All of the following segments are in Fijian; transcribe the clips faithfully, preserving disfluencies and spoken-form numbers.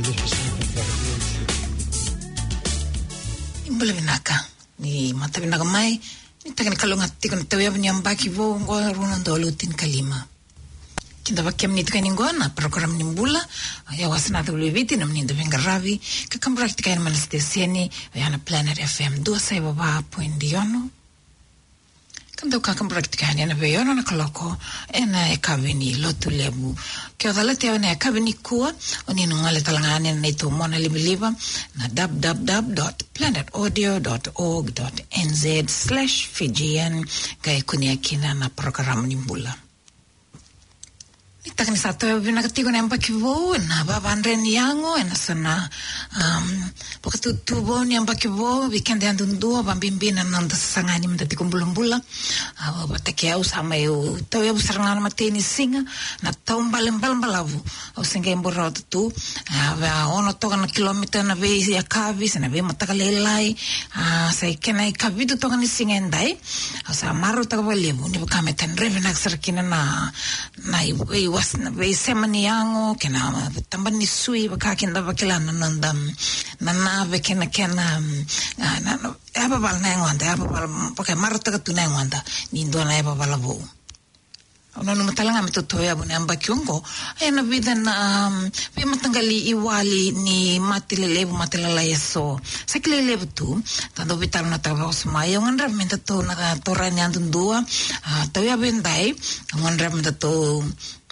Ni bula vinaka, ni mataka vinaka mai, ni taka ni kalougata tiko na tauyavu ni yabaki vou oqo, rua na udolu tinikalima. Kidavaki kemuni tiko yani oqo na program ni bula, oya wasa na W V T, nomuni dauveiqaravi, ka kaburaki tiko yani mai na siteseni, oya na Planet F M, dua saiva va point ono. Ka dau kakaburaki tiko yani ena veiono na kaloko, ena yakavi ni Lotulevu. Ke o calata yani ena yakavi nikua, o ni na gole tale ga yani ena neitou mona livaliva, na w w w dot planet audio dot org dot n z slash Fijian, qai kunea kina na parokaramu ni bula. Ni taka ni sa tauyavu vinaka tiko na yabaki vou, na vavadre ni yago, ena so na, um, vakatutu vou ni yabaki vou, vei keda yadudua, vabibi na noda sasaga ni meda tiko bulabula. A, vata kei au sa mai, au tauyavu sara ga na imatai ni siga, na taubale balabalavu. Au se qai bau rawata tu, a, va ono toka na kilomita na veiyakavi, se na veimataka lailai, a, sa i kena ikavitu toka ni siga edai. Au sa marautaka vakalevu, ni vaka me tadre vinaka sara kina na, na i-, veiwas-, na veisema ni yago, kei na taba ni sui, vaka keda vakila na noda, na nave kei na kena, a, na, na, yavavala na yagoda, yavavala, vaka e marautaka tu na yagoda, ni dua na yavavala vou. Au nanuma tale ga me tou tauyavu na yabaki oqo, ena vica na, um, veimataqali iwali ni mate lelevu, mate lalai eso. Sa kilai levu tu, da dau veitalanoataka vakawasoma. Au gadreva me datou na taura ni yadudua, a, tauyavu edai, au gadreva me datou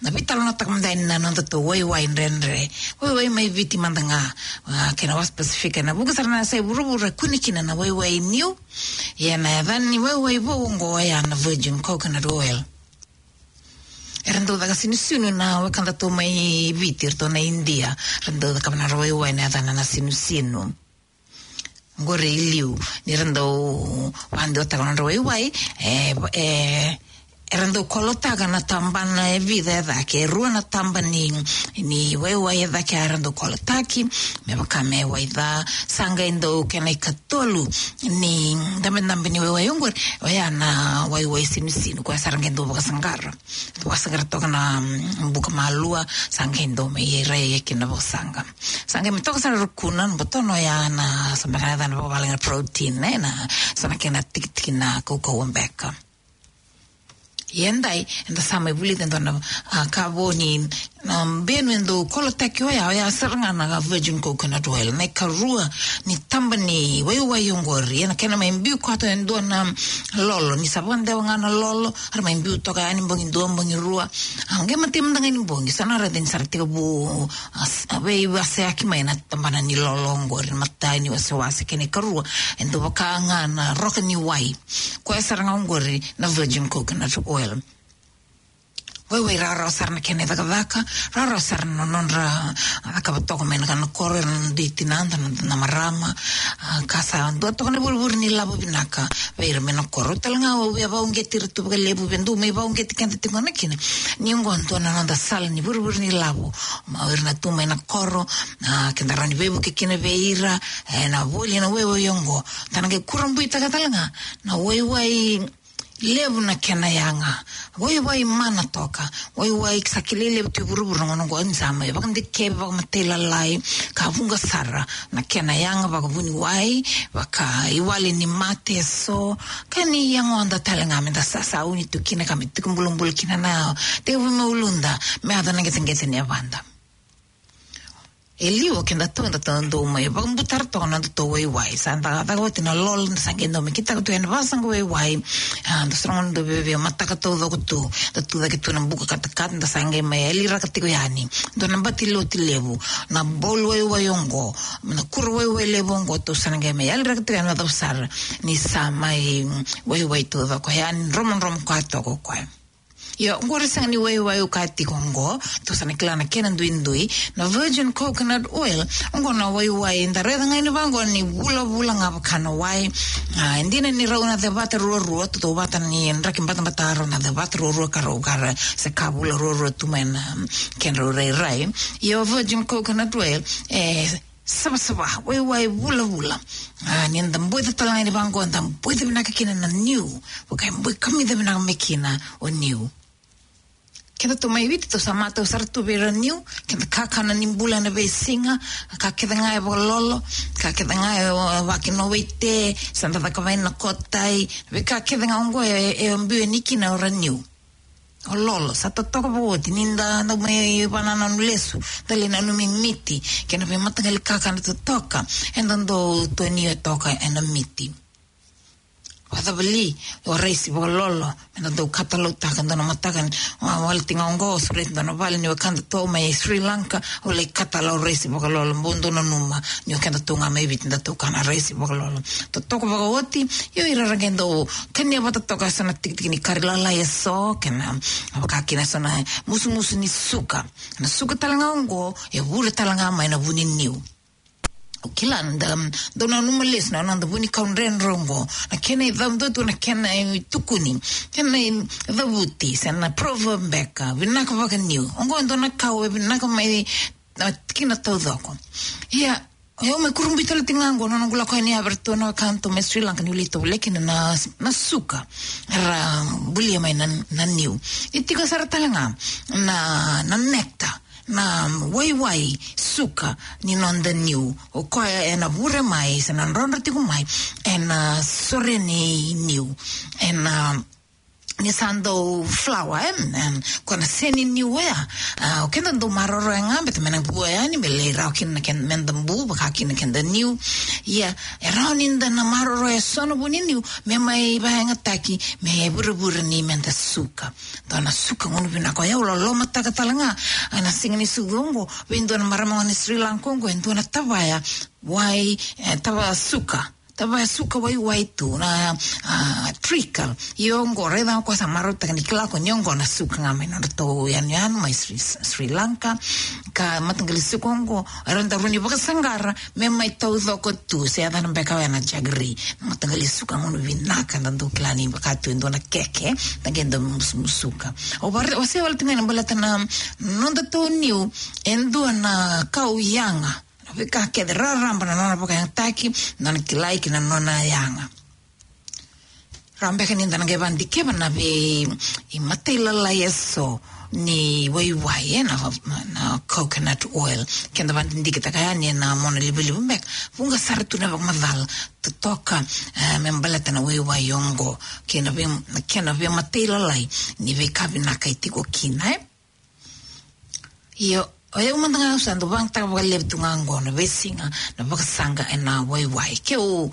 na veitalanoataka mada yani na nodatou waiwai dredre. Waiwai mai Viti mada ga, a, kei na Wasa Pasifika, ena vuqa sara na yasai vuravura e kune kina na waiwai niu. Ia na yaca ni waiwai vou oqo oya na virgin coconut oil. Era dau caka sinusinu na wekadatou mai Viti, eratou na Idia. Era dau cakava na nodra waiwai na yacana na sinusinu. Qori e liu, ni ra dau vakadeitaka na nodra waiwai, e, e, era dau kolotaka na tabana e vica e cake, e rua na taba ni, ni waiwai e cake era dau kolotaki, me vaka me wai ca, sa qai dau kena ikatolu ni dabedabe ni waiwai oqori, oya na waiwai sinusinu, koya sa ra qai dau vakasaqara. Vakasaqara toka na, mm, buka malua, sa qai dau mai rai kina na vakasaqa. Sa qai mai toka sara rukuna, na botona oya na sa beka na yacana vakavalagi na protein, ne, na sa na kena tikitiki na kaukauwa beka. Ia edai, eda sa mai vulica e dua na, a, ka vo ni, na benu e dau kolotaki oya, oya sara ga na virgin coconut oil, na ikarua ni taba ni waiwai oqori, ena kena mai biu koto e dua na lolo, ni sa vakadewa ga na lolo, era mai biu toka yani bogi dua, bogi rua. A, qai matai mada ga ni bogi, sa na raica ni sa ra tekivu, a, s-, a, veiwaseyaki mai na tabana ni lolo oqori, na imatai ni wasewase, kena ikarua, e dau vaka ga na roka ni wai. Koya sara ga oqori na virgin coconut oil. Waiwai rawarawa sara na kena icakacaka, rawarawa sara na nodra, a, cakava toka mai na kana koro, na dui tinada, na, na marama, a, ka sa dua toka na vurevure ni lavo vinaka vei ira mai na koro. Au tale ga au via vakauqeti ira tu vakalevu, vei dou mai vakauqeti keda tiko na kina. Ni oqo dua na noda sala ni vurevure ni lavo, ma o ira na tu mai na koro, a, keda rawa ni veivuke kina vei ira, e, na voli na waiwai oqo. Da na qai kurabuitaka tale ga na waiwai levu na kena yaga. Waiwai mana toka. Waiwai sa kilai levu tu e vuravura na gauna oqo, ni sa mai vakadikevi vakamatailalai, ka vuqa sara na kena yaga vakavuniwai, vakaiwali ni mate eso, ka ni yagoda tale ga meda sa, sauni tu kina ka me tiko bulabula kina na tekivu mai uluda, me yaco na qeteqete ni yavada. E liu o kedatou, datou dau mai vakabutara toka na nodatou waiwai. Sa da caka oti na lolo, da sa qai dau mai kitaka tu ena vakasaqa waiwai. A, da sa na dau veve mataka taucoko tu. Da tu cake tu na buka katakata, da sa qai mai yaliraka tiko yani. Dua na bati lotu levu, na bowl waiwai oqo, na kuro waiwai levu oqo, tou sa na qai mai yaliraka tiko yani, vakacava sara ni sa mai, mm, waiwai taucoko yani, dromodromo koya toka o koya. Io, oqori sega ni waiwai au kaya tiko oqo, tou sa na kila na kena duidui, na virgin coconut oil, oqo na waiwai da raica ga ni vaqo ni vulavula ga vaka na wai. A, e dina ni rau na cevata ruarua, tautauvata ni draki batabata rau na cevata ruarua ka rau kara, se ka vula ruarua tu mai na kedrau rairai. Io, virgin coconut oil, e, savasava, waiwai vulavula. A, ni da boica tale ga ni vaqo, da boica vinaka kina na niu. Vaka e boi kamica vinaka mai kina o niu. Keda tu mai Viti, tou sa matau sara tu vei ira niu, keda kakana ni bula ena veisiga, ka kece ga e vakalolo, ka kece ga e, o, vakina waite, sa da caka vei na kotai, veika kece ga oqo e, e biu yani kina o ira niu. O lolo, sa totoka vakaoti, ni da, da mai vanananu lesu, da lai nanumi miti, kei na veimataqali kakana totoka, eda dau tonia toka ena miti. Vakacava li, o raisi vakalolo, me da dau katalautaka, dua na mataka, wa-, waleti ga oqo, sureti dua na vale ni wekadatou mai Sri Lanka, au lai katalau raisi vakalolo, bau dau nanuma, ni o kedatou ga mai Viti datou kana raisi vakalolo. Totoka vakaoti, io ira ra qai dau kania vata toka eso na tikitiki ni kari lalai eso, kei na, vaka kina eso na musumusu ni suka. Na suka tale ga oqo, e vure tale ga mai na vu ni niu. O kila, da, dau nanuma lesu na, na noda vunikau dredre oqo. Na kena icavutu, na kena itukuni. Kena icavuti, se na proverb beka, vinaka vakaniu. Oqo e dua na kau e vinaka mai, na tikina taucoko. Ia, o yau mai kurabui tale tiko ga oqo, na noqu lako yani Everton, na wekadatou mai Sri Lanka, niu lai tovolea kina na, na suka. Era bulia mai na, na niu. E tiko sara tale ga, na, na nectar. Na waiwai suka ni noda niu. O koya ena vure mai, se na drodro tiko mai, ena sore ni niu. Ena, ni sa dau flower, e, e, ko na se ni niu oya. A, o keda dau maroroya ga, baleta me na vua yani, me lai rawa kina na keda, me da bu, vaka kina keda niu. Ia, e rawa ni da na maroroya eso na vu ni niu, me mai vakayagataki, me vurevure ni me da suka. Dua na suka gunu vinaka, o yau lolomataka tale ga, ena siga ni sucu oqo, vei dua na marama ni Sri Lanka oqo, e dua na tavaya, wai, e, tavaya suka, tavaya suka waiwai tu, na, a, treacle. Io oqo, raica o koya sa marautaka ni kila ko ni oqo na suka ga mai nodratou yanuyanu mai Sri, Sri Lanka, ka mataqali suka oqo, era dau rawa ni vakasaqara, me mai taucoko tu, se yacana beka oya na jaggery. Na mataqali suka gunu vinaka, da dau kila ni vaka tu e dua na keke, da qai dau musumusuka. Au vare, au se wale tu ga na baleta na nodatou niu, e dua na kau yaga. Na veika kece raraba na nona vakayagataki, na nona kilai kei na nona yaga. Rawa beka ni da na qai vakadikeva na vei, i matailalai eso ni waiwai, e, na, na coconut oil. Keda vakadidiketaka yani ena monalivaliva beka. Vuqa sara tu na vakamacala totoka, e, me baleta na waiwai oqo. Kei na vei, kei na veimatailalai ni veika vinaka e tiko kina, e. Io, o yau mada ga au sa dau vakayagataka vakalevu tu ga oqo na veisiga, na vakasaqa ena waiwai. Keu,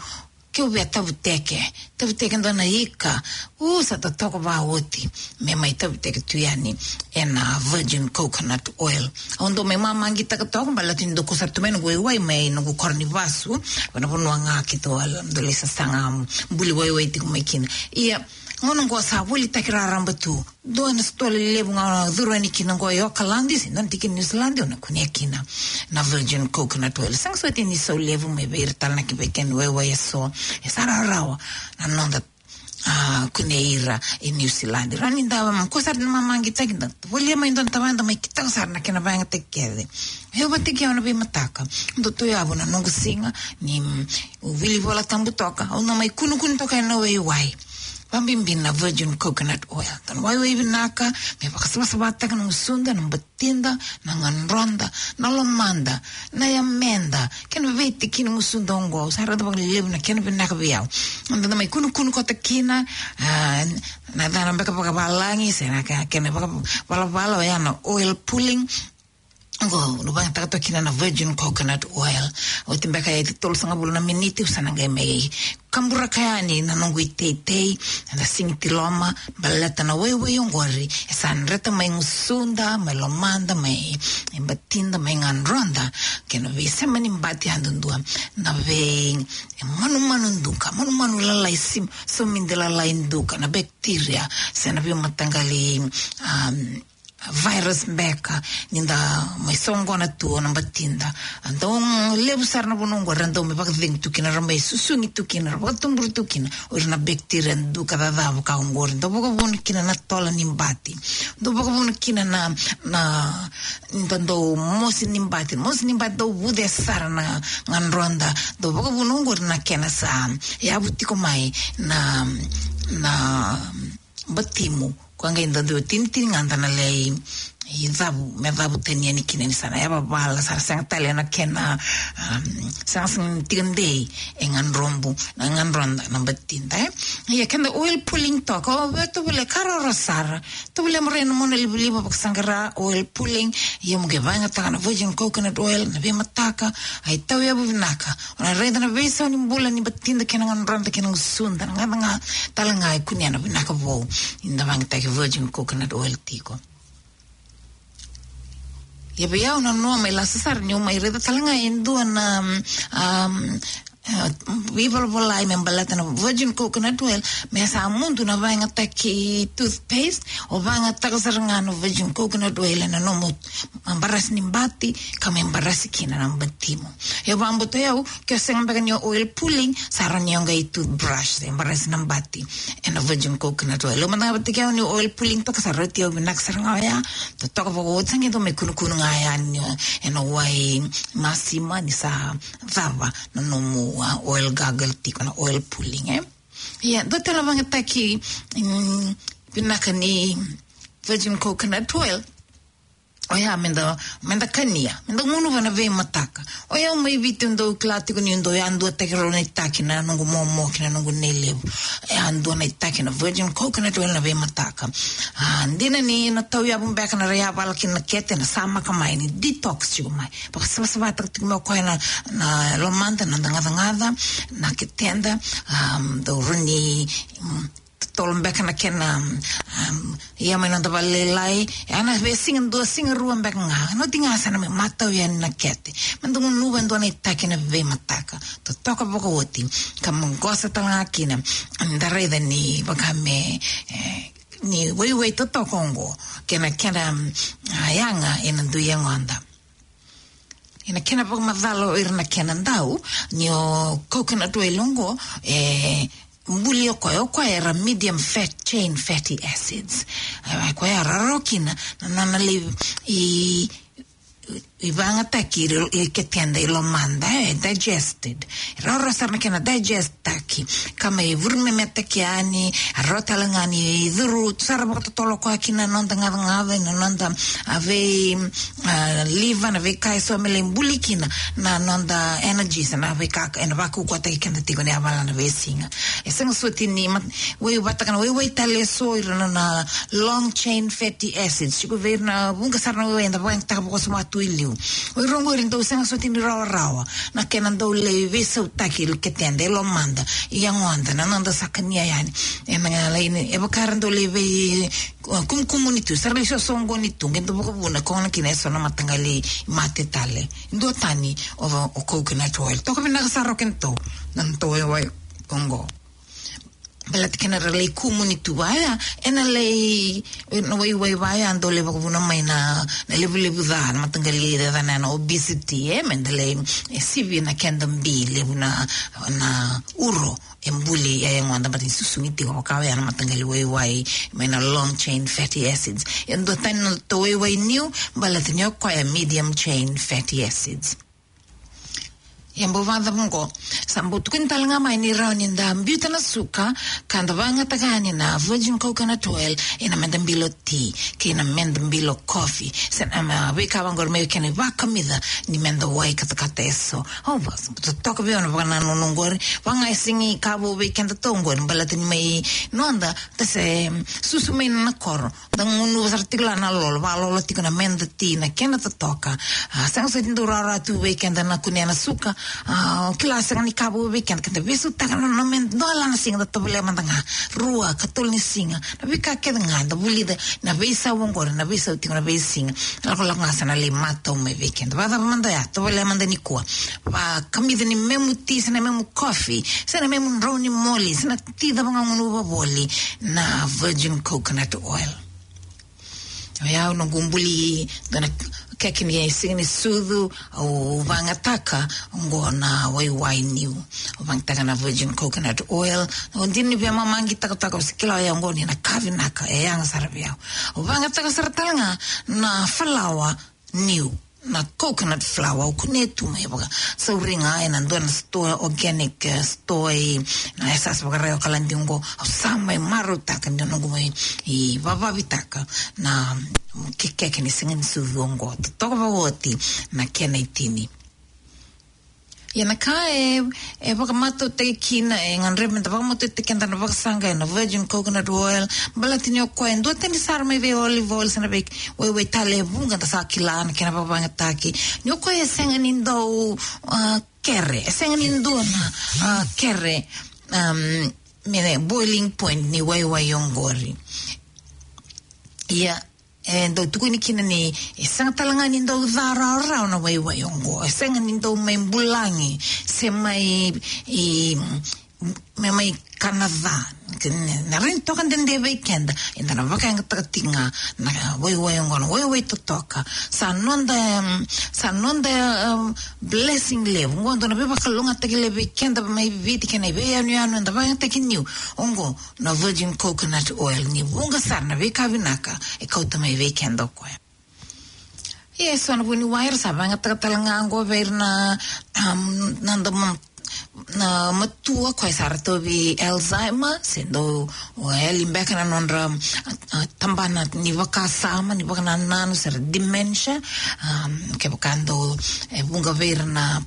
keu via tavuteke, tavuteke dua na ika, u sa totoka vakaoti, me mai tavuteke tu yani ena virgin coconut oil. Au dau mai mamaqitaka toka, baleta ni dau kau sara tu mai noqu waiwai mai noqu koro ni vasu, vanavanua ga keitou a dau lai sasaga buli waiwai tiko mai kina. Ia, gauna oqo sa volitaki raraba tu. Dua na sitoa lelevu ga o na curu yani kina oqo e Okaladi, se dua na tikina Niusiladi, o na kunea kina na virgin coconut oil. Sega soti ni sau levu mai vei ira tale na kena waiwai eso, e sa rawarawa na noda, a, kunei ira e Niusiladi. Rawa ni da, um, kua sara ni mamaqitaki, da volia mai dua na tavaya, da mai kitaka sara na kena vakayagataki kece. Au vata kei au na veimataka, dau tu yavu na noqu siga ni, mm, u wili Vola Tabu toka, au na mai kunukunu toka ena waiwai. Vabibi na virgin coconut oil. Dua na waiwai vinaka, me vakasavasavataka na gusuda, na batida, na gadroda, na lomada, na yameda, kei na veitikina gusuda oqo, sa raica vakalevu na kena vinaka vei au. Da mai kunukunu koto kina, a, na cana beka vakavalagi, se na ke-, kena vakavalavala, oya na oil pulling. Oqo, au vakayagataka toka kina na virgin coconut oil. Oti beka e tolusagavulu na miniti, au sa na qai mai kaburaka yani na noqu iteitei, na sigiti loma, baleta na waiwai oqori, e sa dreta mai gusuda, mai lomada, mai, mai batida, mai gadroda, kei na veisema ni bati yadudua, na vei, e manumanu duka, manumanu lalai sim-, somidi lalai duka, na bacteria, se na veimataqali, um, virus beka, ni da mai soqona tu o na batida. Dau levu sara na vanua oqo, ra dau mai vakacegu tu kina, ra mai susugi tu kina, ra vakatuburi tu kina, o ira na bacteria duka cacava ka oqori. Dau vakavuna kina na tola ni bati. Dau vakavuna kina na, na, da dau mosi ni bati. Mosi ni bati dau vuce sara na gadroda. Dau vakavuna oqori na kena sa yavu tiko mai na, na batimu. Koya qai dau dua tinitini ga da na lai cavu, me cavu tani yani kina ni sa na yavavala, sa sega tale na kena, um, sega sega ni tiko dei e gadrobu, na gadroda na batida, e. Ia keda oil pulling toka, o vei tovolea ka roro sara. Tovolea mo rai na mona livaliva vakasaqara oil pulling, ia mo qai vakayagataka na virgin coconut oil, na veimataka, ai tauyavu vinaka. O na raica na veisau ni bula ni batida kei na gadroda kei na gusuda, na gacagaca tale ga e kunea na vinaka vou. Ni da vakayagataki virgin coconut oil tiko. Ia vei au na noa mai lasa sara niu mai raica tale ga e dua na, um, e, veivolavolai me baleta na virgin coconut oil, me sa mudu na vakayagataki toothpaste, o vakayagataka sara ga na virgin coconut oil ena nomu barasi ni bati, ka me barasi kina na batimu. Ia vakabauta o yau, ke o sega beka ni o oil pulling, sa rawa ni o qai toothbrush, se barasi na bati ena virgin coconut oil. Au mada ga vata kei au ni oil pulling toka, sa rauti au vinaka sara ga oya. Totoka vakaoti, sa qai dau mai kunukunu ga yani ena wai masima ni sa cava na nomu, a, oil gargle tiko, na oil pulling, e. Ia dua tale na vakayagataki, mm, vinaka ni virgin coconut oil. Oya meda, meda kania, meda gunuva na veimataka. O yau mai Viti au dau kila tiko niu dau yaduataki rau na itaki na noqu momo kei na noqu nei levu. E yadua na itaki na virgin coconut oil na veimataka. A, dina ni na tauyavu beka na rai yavala kina na kete, na samaka mai, ni detox tiko mai. Vakasavasavataka tiko mai o koya na, na lomada, na noda gacagaca, na keteda, um, dau rawa ni, um, totolo beka na kena, um, ia mai noda valelailai, e na veisiga dua, siga rua beka ga. Na oti ga sa na mai matau yani na kete. Meda gunuva e dua na itaki na veimataka. Totoka vakaoti. Ka maqosa tale ga kina. Da raica ni vaka me, e, ni waiwai totoka oqo. Kei na kena, um, a, yaga ena dui yagoda. Ena kena vakamacala o ira na kena dau, ni o coconut oil oqo, e, buli o koya, o koya era medium fat chain fatty acids. E, o koya e rarawa kina na, na, na lai, i, i vakayagataki i, i keteda, i lomada, e digested. E rarawa sara na kena digest taki, ka mai vuru me metaki yani, e rawa tale ga ni curu sara vakatotolo koya kina na noda gacagaca, na noda, a, vei, a, liver, na veika eso me lai buli kina na noda energy, se na veika ena vakaukauwataki keda tiko ni yavala na veisiga. E sega soti ni mat-, waiwataka na waiwai tale eso, ira na, na long chain fatty acids. Tiko vei ira na vuqa sara na waiwai eda vakayagataka vakawasoma tu i liu. O ira oqori dau sega soti ni rawarawa na kena dau lai veisautaki i keteda, i lomada, i yagoda, na noda sa kania yani. Ena ga lai ni, e vaka era dau lai vei, o, kumukumuni tu, sa ra lai sosoqoni tu, qai dau vakavuna, koya gona kina eso na mataqali mate tale. Duatani o, o coconut oil. Toka vinaka sara o kedatou na nodatou waiwai oqo. Baleta kena ra lai kumuni tu vaya, ena lai, na waiwai vaya dau lai vakavuna mai na, na levulevu ca, na mataqali cacana na obesity, e, meda lai, e, sivi na keda bi levu na, na uro e buli e yagoda, baleta ni susugi tiko vaka oya na mataqali waiwai mai na long chain fatty acids. E duatani na nodatou waiwai niu, baleta ni o koya medium chain fatty acids. Ia bau vakacava oqo, sa bau tukuni tale ga mai ni rawa ni da biuta na suka, ka da vakayagataka yani na virgin coconut oil ena meda bilo ti, kei na meda bilo coffee. Se na, a, veika vaqori me kena ivakamica ni meda wai katakata eso. Au vakatotoka vei au na vakanananu oqori, vaka ga e sega ni ka vou vei kedatou oqori, baleta ni mai noda, da se, mm, susu mai na koro. Da gunuva sara tiko la na lolo, vakalolo tiko na meda ti, na kena totoka. A, sega soti ni dau rawarawa tu vei keda na kunea na suka. A, o kila sega ni ka vou vei keda, keda veisautaka na, na meda, dua la na siga da tovolea mada ga. Rua, katolu ni siga. Na veika kece ga, da vulica, na veisau oqori, na veisau tiko na veisiga. Lakolako ga sa na lai matau mai vei keda. Vakacava mada oya, tovolea mada nikua. Vakamica ni memu ti, se na memu coffee, se na memu drau ni moli, se na ti cava ga o gunuva voli, na virgin coconut oil. Oya au noqu buli, dua na keke ni siga ni sucu, au vakayagataka oqo na waiwai niu. Au vakayagataka na virgin coconut oil. Au dina ni veimama qi takataka, au se kila oya oqo ni na ka vinaka, e yaga sara vei au. Au vakayagataka sara tale ga na falawa niu. na coconut flour, au kunea tu mai vakasauri ga ena dua na store, organic, eh, store i na yasayasa vakaraitaki o Okaladi oqo. Au sa mai marautaka ni noqu mai vavavitaka na kekeke ni siga ni suvi oqo. Totoka vakaoti na kena itini. Ia na ka e, e vakamatautaki kina, e gadrevi meda vakamatautaki keda na vakasaqa ena virgin coconut oil. Baleta ni o koya e duatani sara mai vei olive oil se na veiwaiwai tale e vuqa da sa kila na kena vakayagataki. Ni o koya e sega ni dau, ah, kere, e sega ni dua na, ah, kere, um, me boiling point ni waiwai oqori. Ia, e dau tukuni kina ni e sega tale ga ni dau ca rawarawa na waiwai oqo. E sega ni dau mai bulagi se mai, i, me mai kana ca. Na rawa ni toka dede vei keda, eda na vakayagataka tiko ga na waiwai oqo, na waiwai totoka. Sa noda, em, sa noda, em, blessing levu. Oqo dua na veivakalougatataki levu vei keda mai Viti kei na veiyanuyanu eda vakayagataki niu. Oqo na virgin coconut oil, ni vuqa sara na veika vinaka e kauta mai vei keda o koya. Ia, e so na vuniwai era sa vakayagataka tale ga oqo vei ira na, um, na dau ma-, na matua, koya sa ra tauvi Alzheimer, se dau, o, yali beka na nodra, ah, ah, tabana ni vakasama, ni vakanananu, se ra dementia, um, kevaka dau, e vuqa vei ira na,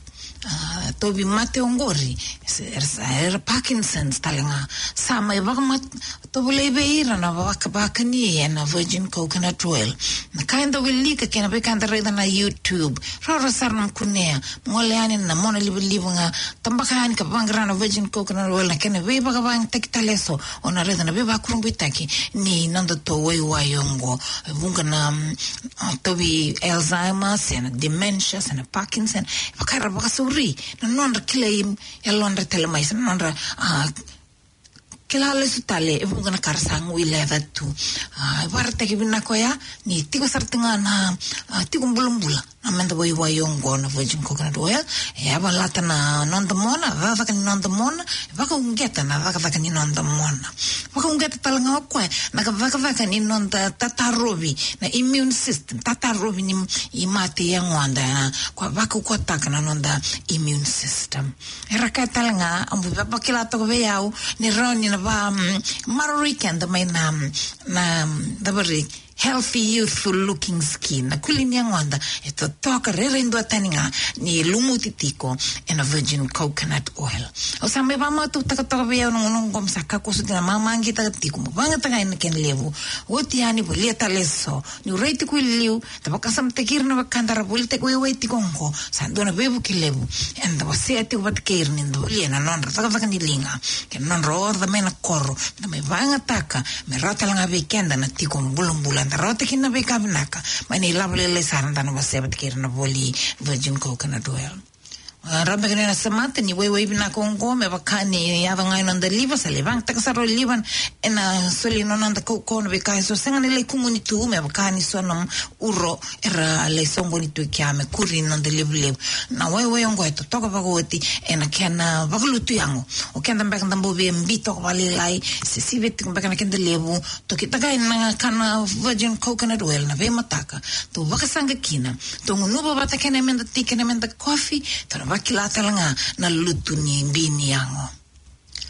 ah, tauvi mate oqori, se, era sa, era Parkinson's tale ga. Sa mai vakamat-, tovolei vei ira na vakavakani ena virgin coconut oil. Na ka eda wilika kei na veika eda raica na YouTube. Roro sara na kunea. Gole yani na mona livaliva ga. Tabaka yani ka vaqara na virgin coconut oil. Na kena veivakavakayagataki tale eso. O na raica na veivakurabuitaki ni noda tou waiwai oqo. E vuqa na, mm, tauvi Alzheimer, se na dementia, se na Parkinson. Vaka era vakasauri na nodra kilai yalodra tale mai, se na nodra, ah, kila lesu tale, e vuqa na ka ra sa guileca tu. Ah, e vakaraitaki vinaka oya ni tiko sara tu ga na, ah, tiko bulabula na meda waiwai oqo na virgin coconut oil. E a valata na noda mona, cakacaka ni noda mona, e vakauqeta na cakacaka ni noda mona. Vakauqeta tale ga o koya na cakacaka ni noda tatarovi, na immune system, tatarovi ni i mate i yagoda, na, koya vakaukauwataka na noda immune system. Era kaya tale ga, au bau vakila toka vei au, ni rawa ni na va, mm, maroroi keda mai na, mm, na, mm, davari, healthy, youthful looking skin. Na kuli ni yagoda e totoka rairai duatani ga ni lumuti tiko ena virgin coconut oil. Au sa mai vakamatautaka toka vei au na gauna oqo, me sa kakua soti na mamaqitaka tiko, mo vakayagataka ena kena levu. Oti yani, volia tale eso. Niu rai tiko i liu, da vakasamataki ira na weka da ra volitaki waiwai tiko oqo, sa dua na veivuke levu eda wasea tiko vata kei ira ni da volia na nodra cakacaka ni liga kei na nodra oca mai na koro, da mai vakayagataka me rawa tale ga vei keda na tiko bulabula, da rawata kina na veika vinaka mai na ilavo lailai sara da na wasea vata kei ira na voli virgin coconut oil. Ah, rawa beka ni na semata ni waiwai vinaka oqo, me vaka ni yaco ga ena noda liva, sa lai vakayagataka sara o liva ena soli na noda kaukauwa, na veika eso sega ni lai kumuni tu, me vaka ni so na uro era lai soqoni tu kea me kuri na noda levulevu. Na waiwai oqo e totoka vakaoti ena kena vakalutu yago. O keda beka da bau via bi toka vakalailai, se sivia tiko beka na keda levu, tokitaka na kana virgin coconut oil na veimataka. Tou vakasaqa kina. Tou gunuva vata kei na meda ti, kei na meda kofi. Tou na vakila tale ga na lutu ni bi ni yago.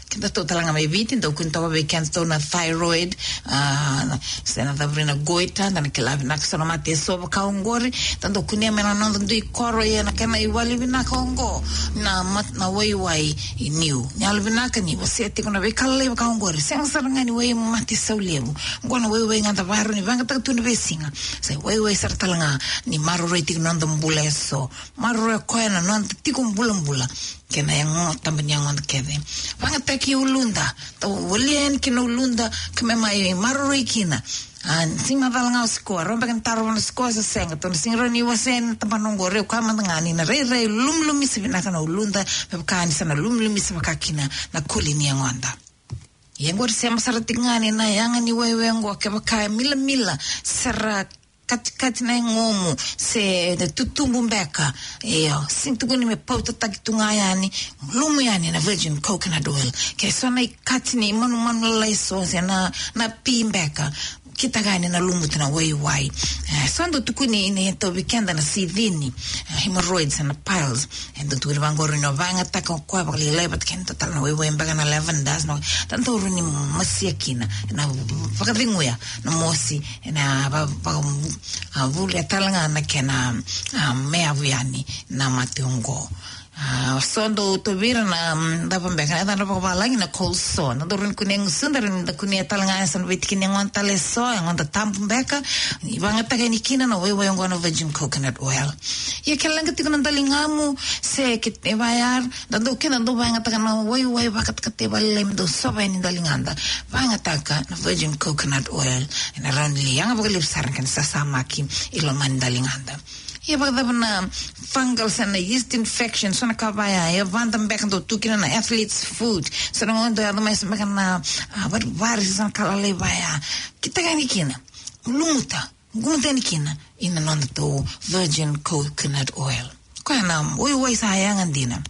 Keda tou tale ga mai Viti, dau kune toka vei keda tou na thyroid, ah, se na cavuri na goita, da na kila vinaka so na mate eso vaka oqori, da dau kunea mai na noda dui koro, ia na kena iwali vinaka oqo, na mat-, na waiwai i niu. Ni yalo vinaka ni wasea tiko na veika lalai vaka oqori, sega sara ga ni wai mate sau levu. Oqo na waiwai ga da vakarau ni vakayagataka tu na veisiga. Sa waiwai sara tale ga ni maroroi tiko na noda bula eso. Maroroi koya na noda tiko bulabula. Kei na yago, taba ni yagoda kece. Vakayagataki uluda. Tou volia yani kina uluda, ka me mai maroroi kina. Ah, sega ni macala ga o sikoa, rawa beka ni tarova na sikoa se sega. Tou na sega ni rawa ni wasea ena tabana oqori, o koya mada ga ni na rairai lumilumisa vinaka na uluda, me vaka ni sa na lumilumisa vaka kina na kuli ni yagoda. Ia oqori sema sara tiko ga ni na yaga ni waiwai oqo, kevaka e milamila, sara katikati na yagomu, se na tutubu beka. Io, sega ni tukuni me pautataki tu ga yani, lumu yani na virgin coconut oil. Ke so na ikati ni manumanu lalai so, se na, na pi beka. kitaka yani na lumuta na waiwai. E, sa dau tukuni ni tauvi keda na sicini, e, hemorrhoids na piles. E dau tukuni vaqori ni o vakayagataka o koya vakalailai vata kei na dua tale na waiwai beka na lavender, na, dau rawa ni masia kina, na vakaceguya na mosi, na va-, va-, a, vulia tale ga na kena, a, meavu yani na mate oqo. A, so dau tauvi ira na, mm, cava beka na yacadra vakavalagi, na cold sore. Na dau rawa ni kunea e gusuda, rawa ni da kunea tale ga e so na veitiki ni yagoda tale e so, yagoda tabu beka, ni vakayagataka yani kina na waiwai oqo na virgin coconut oil. Ia ke leqa tiko na daligamu, se ke, e vaya, da dau, keda dau vakayagataka na waiwai vakatakata vakalailai me dau sova yani daligada. Vakayagataka na virgin coconut oil, ena rawa ni yaga vakalevu sara na kena sasamaki i loma ni daligada. Ia vakacava na fungal se na yeast infection, so na ka vaya, e vada beka dau tu kina na athlete's foot. So na gauna dau yaco mai so beka na, a, varivari, so na ka lalai vaya. Kitaka yani kina, lumuta, lumuta yani kina, ina noda tou virgin coconut oil. Koya na waiwai sa yaga dina.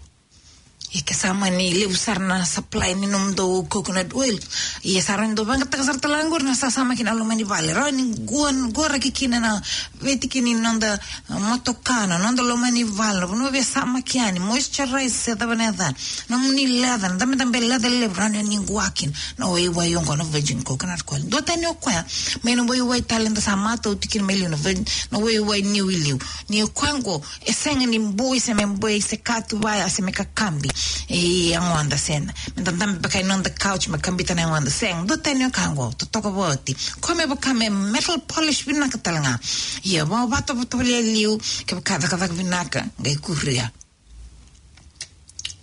Ia ke sa mani levu sara na supply ni nomudou coconut oil, ia sa rawa ni dou vakayagataka sara tale ga qori na sasamaki na loma ni vale. Rawa ni qo, qoraki kina na veitiki ni noda, a, motoka, na noda loma ni vale, na vanua veisamaki yani, moisturize se cava na yacana. Nomuni leather, na dabedabe leather levu, rawa ni qo kina na waiwai oqo na virgin coconut oil. Duatani o koya mai na waiwai tale da sa matau tiko kina mai liu, na virgin, na waiwai niu i liu. Ni o koya oqo, e sega ni boi se me boi se ka tu vaya se me kakabi. E, yagoda sega. Me da dabe beka e noda couch me kabita na yagoda, sega. Duatani o koya oqo, totoka vakaoti. Koya me vaka me metal polish vinaka tale ga. Ia, vakatovotovo e liu, kevaka cakacaka vinaka, qai kuria.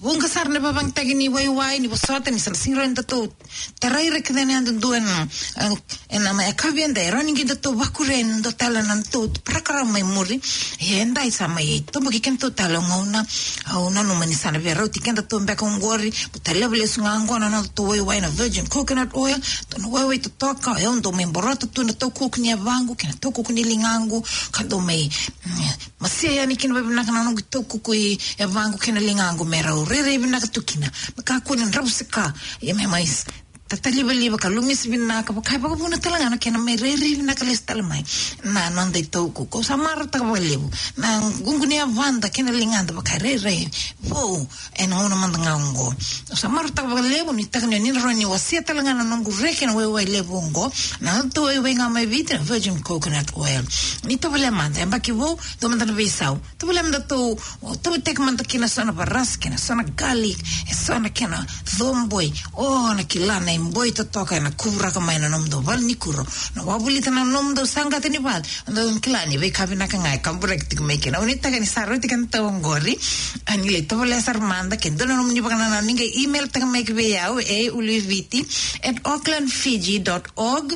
Vuqa sara na ivakavakayagataki ni waiwai, ni vosota, ni sa na sega ni rawa ni datou tarai ira kece na yadudua ena, e, ena mai yakavi edai, rawa ni qai datou vakuria ena dua tale na nodatou parokaramu mai muri. Ia edai sa mai toboki kedatou tale o gauna, au nanuma ni sa na via rauti kedatou beka oqori, baleta levu lesu ga oqo na nodatou waiwai na virgin coconut oil, dua na waiwai totoka, e au dau mai borota tu na taukuku ni yavaqu kei na taukuku ni ligaqu, ka dau mai, mm, masia yani kina vakavinaka na noqu taukuku i yavaqu kei na ligaqu me rau rairai vinaka tu kina. Me kakua ni dravuisaka, ia me mai s-, tatalivaliva ka lumisi vinaka, vaka e vakavuna tale ga na kena mai rairai vinaka lesu tale mai na noda itaukuku. Au sa marautaka vakalevu na ququ ni yavada kei na ligada vaka e rairai vou ena gauna mada ga oqo. Au sa marautaka vakalevu, nuitaka ni o ni na rawa ni wasea tale ga na noqu reki ena waiwai levu oqo, na nodatou waiwai ga mai Viti, na virgin coconut oil. Ni tovolea mada, yabaki vou, dua mada na veisau. Tovolea mada tou, tovolea mada kina so na varasi, kei na so na garlic, e so na kena coboi. O na kila na iboi totoka ena kuvuraka mai na nomudou valenikuro. Na wavolita na nomudou saqata ni vale. Dou kila ni veika vinaka ga e kaburaki tiko mai kina. Au nuitaka ni sa rauti kedatou oqori. A ni lai tovolea sara mada, ke dua na nomuni vakanananu ni qai email taka mai ki vei au, e uluiviti at auckland fiji dot org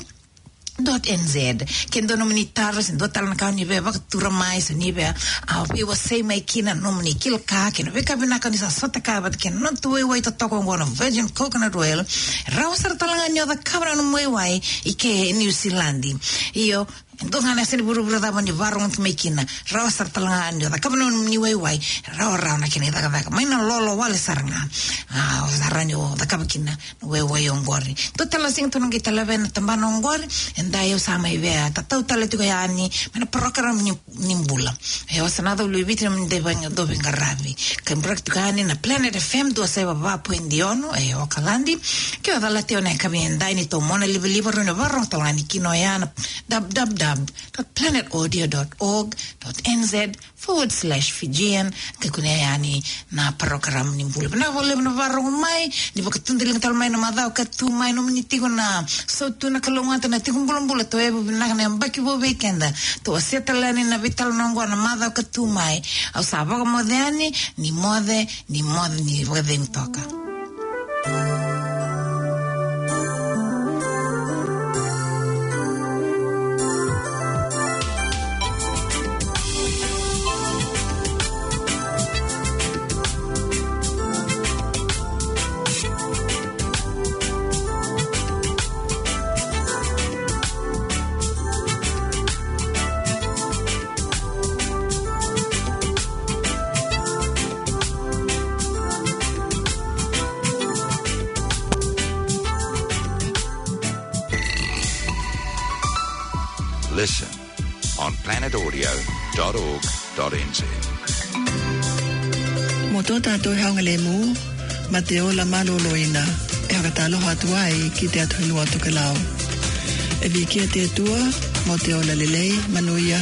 dot N Z. Ke dua nomuni taro, se dua tale na ka ni via vakatura mai, se ni via, a, veiwasei mai kina nomuni kila ka, kei na veika vinaka ni sa sota ka vata kei na nodatou waiwai totoka oqo na virgin coconut oil. Rawa sara tale ga ni o cakava na nomu waiwai i ke New Zealand. Io, e dua ga na yasa ni vuravura cava ni vakarorogo mai kina, rawa sara tale ga ni o cakava na nomuni waiwai, rawarawa na kena icakacaka. Mai na lolo wale sara ga. A, o sa rawa ni o cakava kina na waiwai oqori. Dua tale na siga tou na qai taleva ena tabana oqori, edai au sa mai via tatau tale tiko yani mai na parokaramu ni, ni bula. E, au sa na cau lui Viti na mani dau veiqaravi. Ka buraki tiko yani na Planet F M dua saiva va point ono, e, Okaladi. Ke o calati au ena yakavi edai ni tou mona livaliva, rawa ni o vakarorogo tale ga yani kina oya na w w w dot planet audio dot org dot N Z forward slash Fijian, ka kunea yani na parokaramu ni bula. Vinaka vakalevu na vakarorogo mai, ni vakatudaliga tale mai na macawa ka tu mai, nomuni tiko na sautu na kalougata na tiko bulabula, tou yavu vinaka na yabaki vou vei keda. Tou wasea tale yani na veitalanoa oqo na macawa ka tu mai. Au sa vakamoce yani, ni moce, ni moce, ni vakacegu toka. on planet audio dot org dot N Z. Mo to tatou e hau galemu, ma te ola maloloina, e haka talo hatu ai ki te Atua Tokelau. E viki a te Atua, mo te ola lelei, manuia,